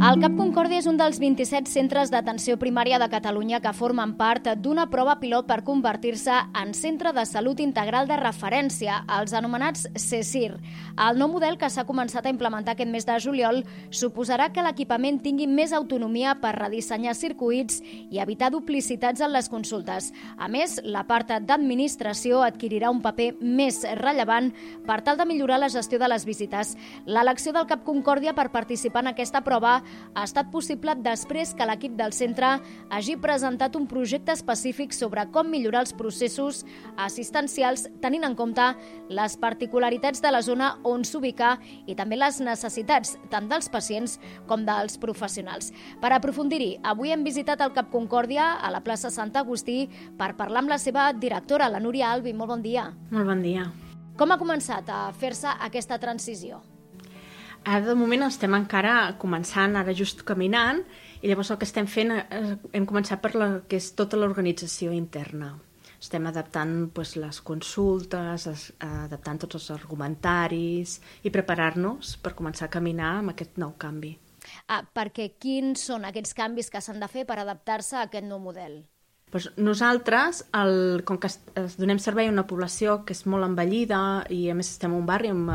El CAP Concòrdia és un dels 27 centres d'atenció primària de Catalunya que formen part d'una prova pilot per convertir-se en centre de salut integral de referència, els anomenats CSIR. El nou model que s'ha començat a implementar aquest mes de juliol suposarà que l'equipament tingui més autonomia per redissenyar circuits i evitar duplicitats en les consultes. A més, la part d'administració adquirirà un paper més rellevant per tal de millorar la gestió de les visites. L'elecció del CAP Concòrdia per participar en aquesta prova ha estat possible després que l'equip del centre hagi presentat un projecte específic sobre com millorar els processos assistencials tenint en compte les particularitats de la zona on s'ubica i també les necessitats tant dels pacients com dels professionals. Per aprofundir-hi, avui hem visitat el CAP Concòrdia a la plaça Sant Agustí per parlar amb la seva directora, la Núria Albi. Molt bon dia. Molt bon dia. Com ha començat a fer-se aquesta transició? Ara, de moment, estem encara començant, ara just caminant, i llavors el que estem fent, hem començat per la que és tota l'organització interna. Estem adaptant les consultes, adaptant tots els argumentaris i preparar-nos per començar a caminar amb aquest nou canvi. Perquè quins són aquests canvis que s'han de fer per adaptar-se a aquest nou model? Nosaltres, com que donem servei a una població que és molt envellida i a més estem en un barri amb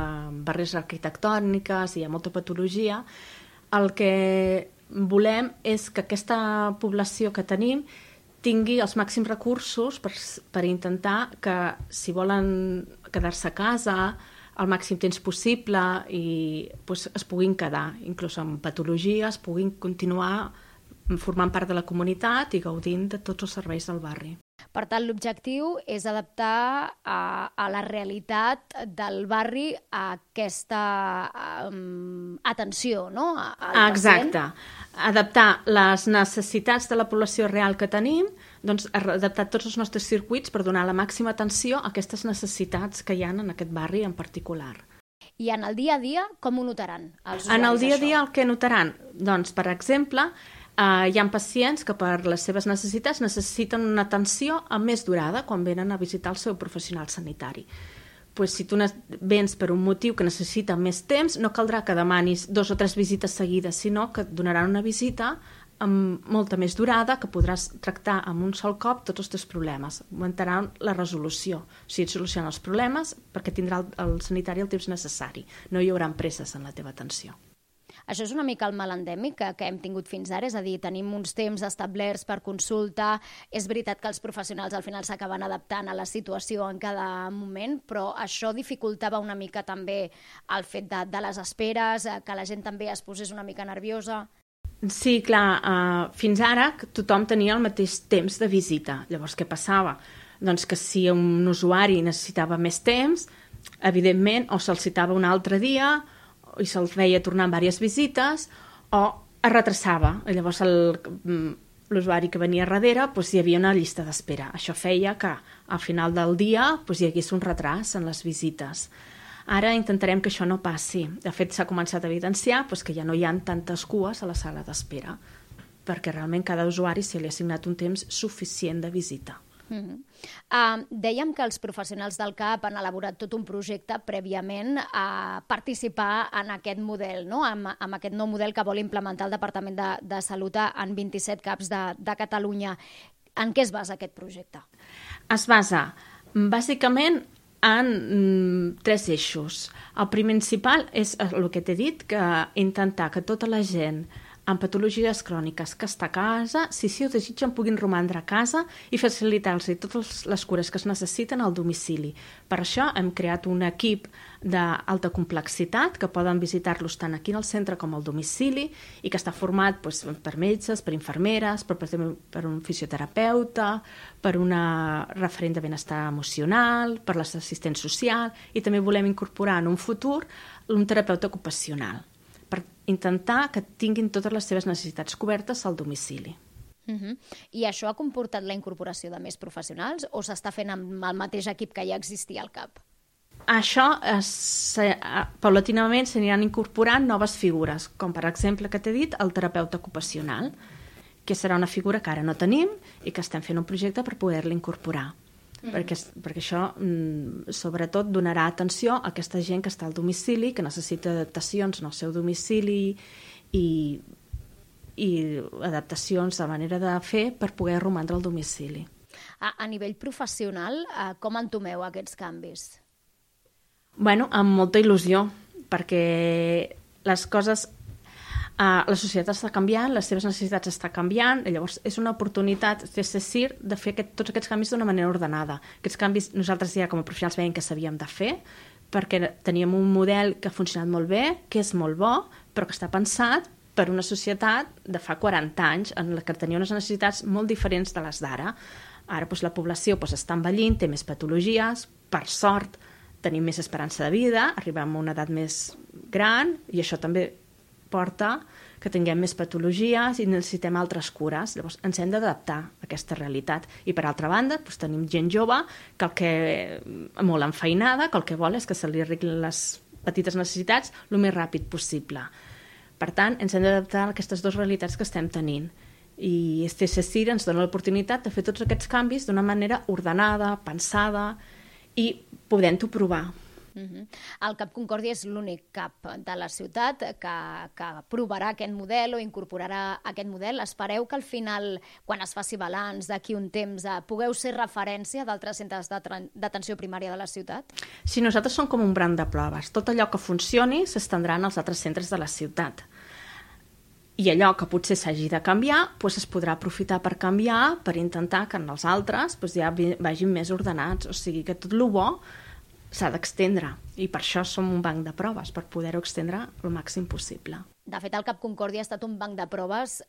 barreres arquitectòniques i hi ha molta patologia, el que volem és que aquesta població que tenim tingui els màxims recursos per intentar que, si volen quedar-se a casa el màxim temps possible i es puguin quedar, inclús amb patologies, puguin continuar formant part de la comunitat i gaudint de tots els serveis del barri. Per tant, l'objectiu és adaptar a la realitat del barri a aquesta atenció, no? Exacte. Adaptar les necessitats de la població real que tenim, doncs adaptar tots els nostres circuits per donar la màxima atenció a aquestes necessitats que hi ha en aquest barri en particular. I en el dia a dia, com ho notaran els usuaris? En el dia a dia el que notaran? Doncs, per exemple, hi ha pacients que per les seves necessitats necessiten una atenció amb més durada quan venen a visitar el seu professional sanitari. Si tu vens per un motiu que necessita més temps, no caldrà que demanis 2 o 3 visites seguides, sinó que et donaran una visita amb molta més durada que podràs tractar amb un sol cop tots els teus problemes. Augmentaran la resolució, o sigui, et solucionen els problemes perquè tindrà el sanitari el temps necessari. No hi haurà presses en la teva atenció. Això és una mica el mal endèmic que hem tingut fins ara, és a dir, tenim uns temps establerts per consulta, és veritat que els professionals al final s'acaben adaptant a la situació en cada moment, però això dificultava una mica també el fet de les esperes, que la gent també es posés una mica nerviosa. Sí, clar, fins ara tothom tenia el mateix temps de visita. Llavors, què passava? Doncs que si un usuari necessitava més temps, evidentment, o se'l citava un altre dia, i se'l feia tornar en diverses visites, o es retrasava. Llavors l'usuari que venia darrere hi havia una llista d'espera. Això feia que al final del dia hi hagués un retras en les visites. Ara intentarem que això no passi. De fet, s'ha començat a evidenciar que ja no hi ha tantes cues a la sala d'espera, perquè realment cada usuari se li ha assignat un temps suficient de visita. Dèiem que els professionals del CAP han elaborat tot un projecte prèviament a participar en aquest model, no? amb aquest nou model que vol implementar el Departament de Salut en 27 CAPs de Catalunya. En què es basa aquest projecte? Es basa bàsicament en 3 eixos. El principal és el que t'he dit, que intentar que tota la gent amb patologies cròniques que està a casa, si ho desitgen, puguin romandre a casa i facilitar-los totes les cures que es necessiten al domicili. Per això hem creat un equip d'alta complexitat que poden visitar-los tant aquí al centre com al domicili i que està format per metges, per infermeres, per un fisioterapeuta, per una referent de benestar emocional, per l'assistent social, i també volem incorporar en un futur un terapeuta ocupacional, per intentar que tinguin totes les seves necessitats cobertes al domicili. I això ha comportat la incorporació de més professionals o s'està fent amb el mateix equip que ja existia al CAP? Això, paulatinament s'aniran incorporant noves figures, com per exemple, que t'he dit, el terapeuta ocupacional, que serà una figura que ara no tenim i que estem fent un projecte per poder-la incorporar. perquè això sobretot donarà atenció a aquesta gent que està al domicili, que necessita adaptacions en el seu domicili i adaptacions de manera de fer per poder romandre al domicili. A nivell professional, com entomeu aquests canvis? Bueno, amb molta il·lusió, perquè les coses... la societat està canviant, les seves necessitats estan canviant, llavors és una oportunitat de CSIR de fer tots aquests canvis d'una manera ordenada. Aquests canvis nosaltres ja com a professionals veiem que s'havien de fer, perquè teníem un model que ha funcionat molt bé, que és molt bo, però que està pensat per una societat de fa 40 anys en la que tenia unes necessitats molt diferents de les d'ara. Ara la població està envellint, té més patologies, per sort tenim més esperança de vida, arribem a una edat més gran i això també porta que tinguem més patologies i necessitem altres cures. Llavors ens hem d'adaptar a aquesta realitat. I per altra banda, tenim gent jove molt enfeinada, que el que vol és que se li arreglin les petites necessitats el més ràpid possible. Per tant, ens hem d'adaptar a aquestes dues realitats que estem tenint. I CSIR ens dona l'oportunitat de fer tots aquests canvis d'una manera ordenada, pensada i podent-ho provar. El CAP Concòrdia és l'únic CAP de la ciutat que provarà aquest model o incorporarà aquest model. Espereu que al final, quan es faci balanç d'aquí un temps, pugueu ser referència d'altres centres d'atenció primària de la ciutat? Sí, nosaltres som com un banc de proves. Tot allò que funcioni s'estendrà als altres centres de la ciutat. I allò que potser s'hagi de canviar es podrà aprofitar per canviar, per intentar que en els altres ja vagin més ordenats. O sigui que tot el bo s'ha d'extendre i per això som un banc de proves, per poder-ho extendre el màxim possible. De fet, el CAP Concòrdia ha estat un banc de proves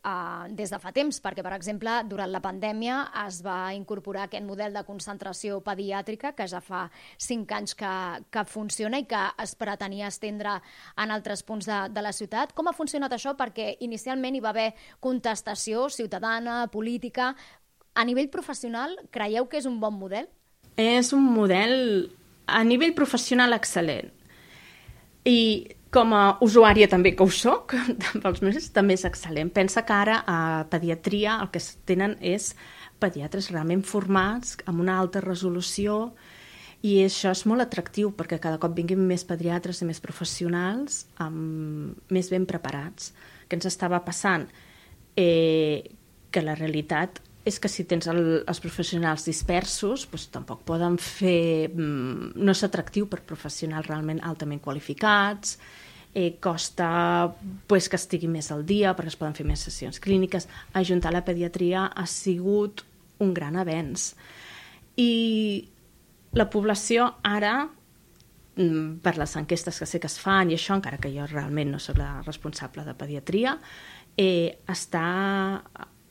des de fa temps, perquè, per exemple, durant la pandèmia es va incorporar aquest model de concentració pediàtrica que ja fa 5 anys que funciona i que es pretenia estendre en altres punts de la ciutat. Com ha funcionat això? Perquè inicialment hi va haver contestació ciutadana, política. A nivell professional, creieu que és un bon model? És un model a nivell professional excel·lent. I com a usuària també que ho soc, pels meus, també és excel·lent. Pensa que ara a pediatria el que tenen és pediatres realment formats, amb una alta resolució, i això és molt atractiu perquè cada cop vinguin més pediatres i més professionals més ben preparats. Què ens estava passant? Que la realitat és que si tens els professionals dispersos, tampoc poden fer... No és atractiu per professionals realment altament qualificats, costa que estigui més al dia perquè es poden fer més sessions clíniques. Ajuntar la pediatria ha sigut un gran avenç. I la població ara, per les enquestes que sé que es fan, i això encara que jo realment no soc la responsable de pediatria, està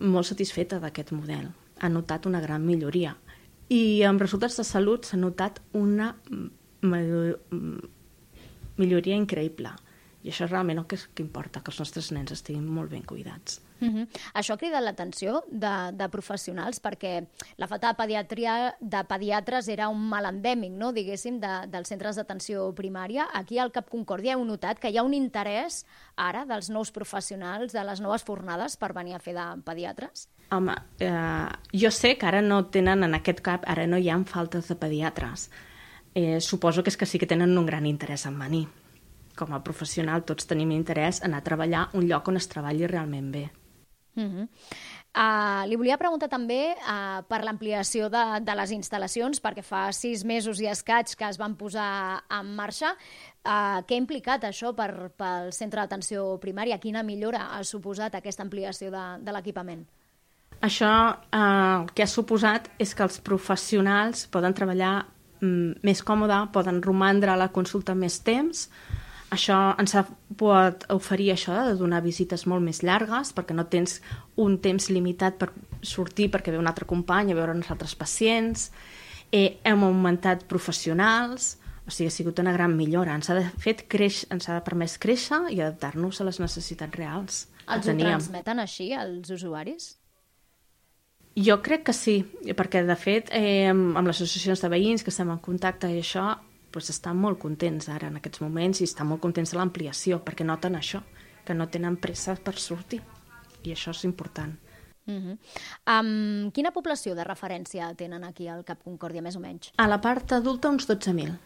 molt satisfeta d'aquest model. Ha notat una gran milloria. I amb resultats de salut s'ha notat una milloria increïble. I això és realment el que importa, que els nostres nens estiguin molt ben cuidats. Això ha cridat l'atenció de professionals perquè la falta de pediatres era un mal endèmic, no? Diguéssim, dels centres d'atenció primària. Aquí al CAP Concòrdia heu notat que hi ha un interès ara dels nous professionals, de les noves fornades per venir a fer de pediatres? Home, jo sé que ara no tenen en aquest CAP, ara no hi ha faltes de pediatres. Suposo que és que sí que tenen un gran interès en venir. Com a professional tots tenim interès en anar a treballar un lloc on es treballi realment bé. Li volia preguntar també per l'ampliació de les instal·lacions, perquè fa 6 mesos i escaig que es van posar en marxa. Què ha implicat això pel centre d'atenció primària? Quina millora ha suposat aquesta ampliació de l'equipament? Això el que ha suposat és que els professionals poden treballar més còmode, poden romandre a la consulta més temps. Això ens pot oferir això de donar visites molt més llargues perquè no tens un temps limitat per sortir perquè ve un altre company a veure uns altres pacients. Hem augmentat professionals, o sigui, ha sigut una gran millora. Ens ha permès créixer i adaptar-nos a les necessitats reals. Els ho transmeten així, als usuaris? Jo crec que sí, perquè de fet amb les associacions de veïns que estem en contacte i això, estan molt contents ara en aquests moments i estan molt contents de l'ampliació perquè noten això, que no tenen pressa per sortir i això és important. Quina població de referència tenen aquí al CAP Concòrdia, més o menys? A la part adulta, uns 12.000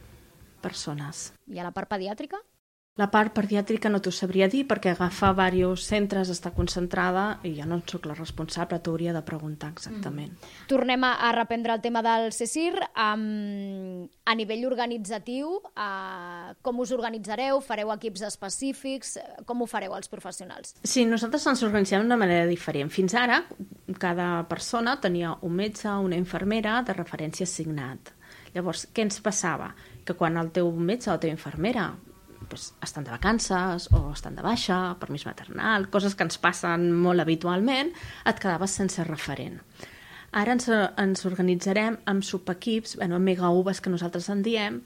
persones. I a la part pediàtrica? La part pediàtrica no t'ho sabria dir perquè agafar diversos centres està concentrada i jo no soc la responsable, t'hauria de preguntar exactament. Tornem a reprendre el tema del CSIR. A nivell organitzatiu, com us organitzareu? Fareu equips específics? Com ho fareu els professionals? Sí, nosaltres ens organitzem d'una manera diferent. Fins ara, cada persona tenia un metge, una infermera de referència assignat. Llavors, què ens passava? Que quan el teu metge o la teva infermera estan de vacances o estan de baixa, permís maternal, coses que ens passen molt habitualment, et quedaves sense referent. Ara ens organitzarem amb subequips, amb mega-uves que nosaltres en diem,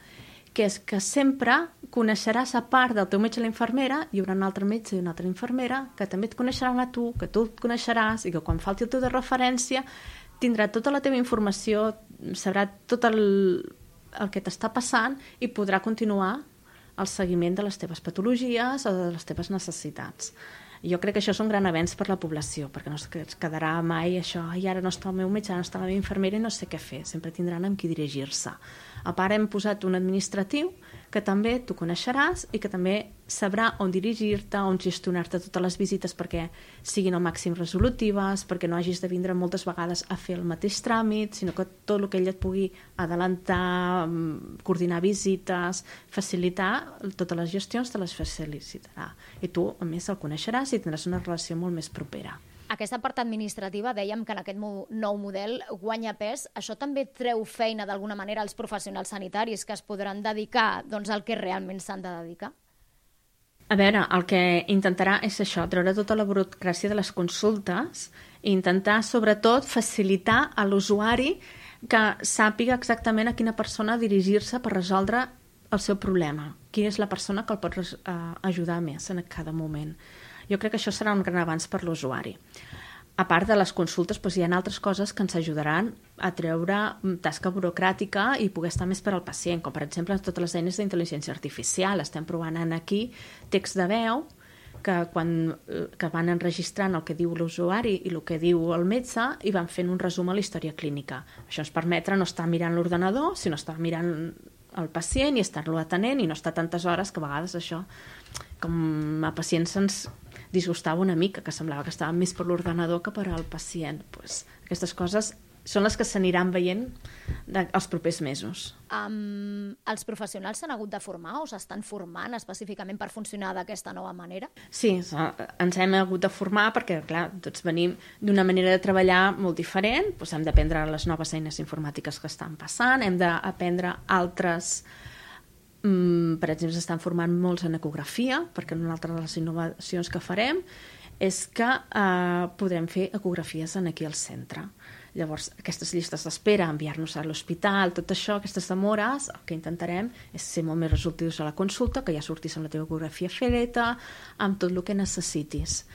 que és que sempre coneixeràs, a part del teu metge i la infermera, hi haurà un altre metge i una altra infermera que també et coneixeran a tu, que tu et coneixeràs i que quan falti el teu de referència tindrà tota la teva informació, sabrà tot el que t'està passant i podrà continuar el seguiment de les teves patologies o de les teves necessitats. Jo crec que això és un gran avenç per la població, perquè no es quedarà mai això, i ara no està el meu metge, no està la meva infermera i no sé què fer, sempre tindran amb qui dirigir-se. A part hem posat un administratiu que també tu coneixeràs i que també sabrà on dirigir-te, on gestionar-te totes les visites perquè siguin al màxim resolutives, perquè no hagis de vindre moltes vegades a fer el mateix tràmit, sinó que tot el que ell et pugui adelantar, coordinar visites, facilitar totes les gestions te les facilitarà. I tu, a més, el coneixeràs i tindràs una relació molt més propera. Aquesta part administrativa, dèiem que en aquest nou model guanya pes. Això també treu feina d'alguna manera als professionals sanitaris que es podran dedicar al que realment s'han de dedicar? A veure, el que intentarà és això, treure tota la burocràcia de les consultes i intentar, sobretot, facilitar a l'usuari que sàpiga exactament a quina persona dirigir-se per resoldre el seu problema. Quina és la persona que el pot ajudar més en cada moment. Jo crec que això serà un gran avanç per l'usuari. A part de les consultes, hi ha altres coses que ens ajudaran a treure tasca burocràtica i poder estar més per al pacient, com per exemple totes les eines d'intel·ligència artificial. Estem provant aquí text de veu que van enregistrant el que diu l'usuari i el que diu el metge i van fent un resum a la història clínica. Això ens permetre no estar mirant l'ordenador, sinó estar mirant el pacient i estar-lo atenent i no estar tantes hores que a vegades això, com a pacients ens disgustava una mica, que semblava que estàvem més per l'ordenador que per al pacient. Aquestes coses són les que s'aniran veient els propers mesos. Els professionals s'han hagut de formar o s'estan formant específicament per funcionar d'aquesta nova manera? Sí, ens hem hagut de formar perquè, clar, tots venim d'una manera de treballar molt diferent, hem d'aprendre les noves eines informàtiques que estan passant, hem d'aprendre altres. Per exemple, s'estan formant molts en ecografia, perquè una altra de les innovacions que farem és que podrem fer ecografies aquí al centre. Llavors, aquestes llistes d'espera, enviar-nos a l'hospital, tot això, aquestes demores, el que intentarem és ser molt més resolutius a la consulta, que ja sortis amb la teva ecografia feta, amb tot el que necessitis.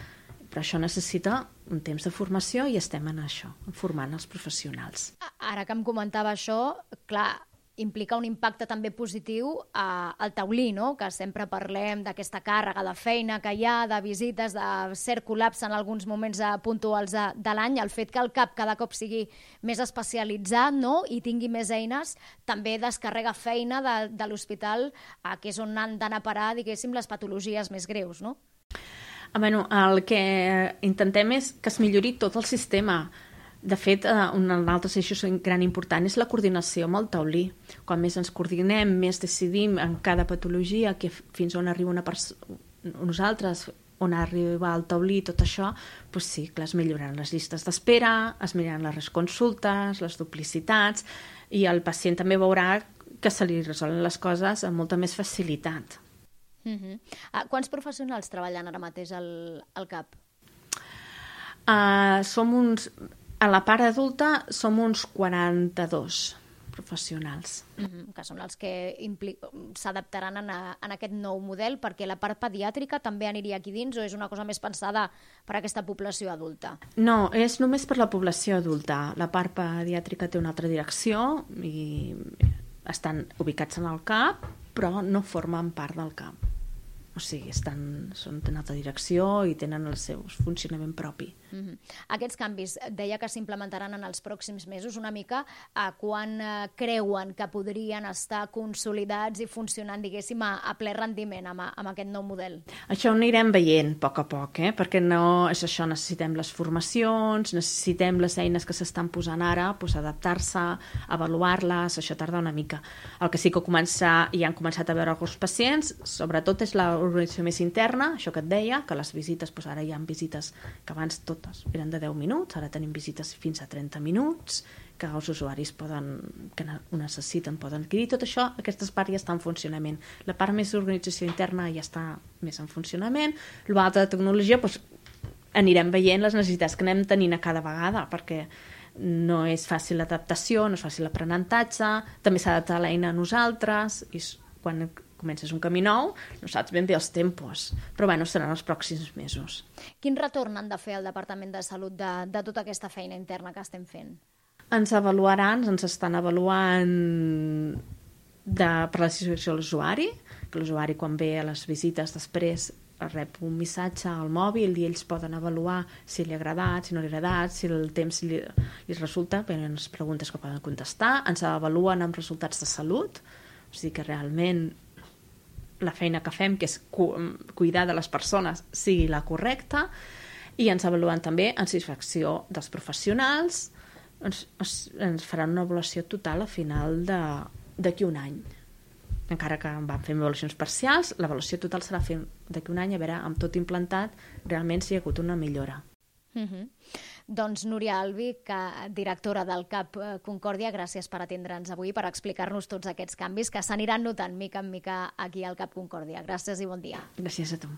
Però això necessita un temps de formació i estem en això, formant els professionals. Ara que em comentava això, clar, implica un impacte també positiu al taulí, no? Que sempre parlem d'aquesta càrrega de feina que hi ha, de visites, de cert col·lapse en alguns moments puntuals de l'any. El fet que el CAP cada cop sigui més especialitzat, no? I tingui més eines, també descarrega feina de l'hospital, que és on han d'anar a parar, diguéssim, les patologies més greus, no? El que intentem és que es millori tot el sistema. De fet, un altre eix gran important és la coordinació amb el taulí. Quan més ens coordinem, més decidim en cada patologia fins on arriba nosaltres, on arriba el taulí, tot això, sí, clar, es milloraran les llistes d'espera, es milloraran les consultes, les duplicitats, i el pacient també veurà que se li resolen les coses amb molta més facilitat. Quants professionals treballen ara mateix al CAP? A la part adulta som uns 42 professionals. Que són els que s'adaptaran en aquest nou model, perquè la part pediàtrica també aniria aquí dins o és una cosa més pensada per a aquesta població adulta? No, és només per la població adulta. La part pediàtrica té una altra direcció i estan ubicats en el CAP, però no formen part del CAP. O sigui, són d'una altra direcció i tenen el seu funcionament propi. Aquests canvis, deia que s'implementaran en els pròxims mesos, una mica quan creuen que podrien estar consolidats i funcionant, diguéssim, a ple rendiment amb aquest nou model? Això ho anirem veient a poc, perquè no és això, necessitem les formacions, necessitem les eines que s'estan posant ara, doncs adaptar-se, avaluar-les, això tarda una mica. El que sí que ja han començat a veure alguns pacients, sobretot és l'organització més interna, això que et deia, que les visites, doncs ara hi ha visites que abans totes eren de 10 minuts, ara tenim visites fins a 30 minuts, que els usuaris que ho necessiten poden adquirir. Tot això, aquestes parts ja estan en funcionament. La part més d'organització interna ja està més en funcionament. L'altra de tecnologia, doncs, anirem veient les necessitats que anem tenint a cada vegada, perquè no és fàcil l'adaptació, no és fàcil l'aprenentatge, també s'ha d'adaptar l'eina a nosaltres, i quan comences un camí nou, no saps ben bé els tempos, però bueno, seran els pròxims mesos. Quin retorn han de fer al Departament de Salut de tota aquesta feina interna que estem fent? Ens avaluaran, ens estan avaluant per la situació de l'usuari, que l'usuari quan ve a les visites després rep un missatge al mòbil i ells poden avaluar si li ha agradat, si no li ha agradat, si el temps li resulta, venen les preguntes que poden contestar, ens avaluen amb resultats de salut, o sigui que realment la feina que fem, que és cuidar de les persones, sigui la correcta, i ens avaluen també en satisfacció dels professionals. Ens faran una avaluació total a final d'aquí un any. Encara que vam fer avaluacions parcials, l'avaluació total serà d'aquí un any, a veure, amb tot implantat, realment si hi ha hagut una millora. Doncs Núria Albi, directora del CAP Concòrdia, gràcies per atendre'ns avui, per explicar-nos tots aquests canvis que s'aniran notant mica en mica aquí al CAP Concòrdia. Gràcies i bon dia. Gràcies a tu.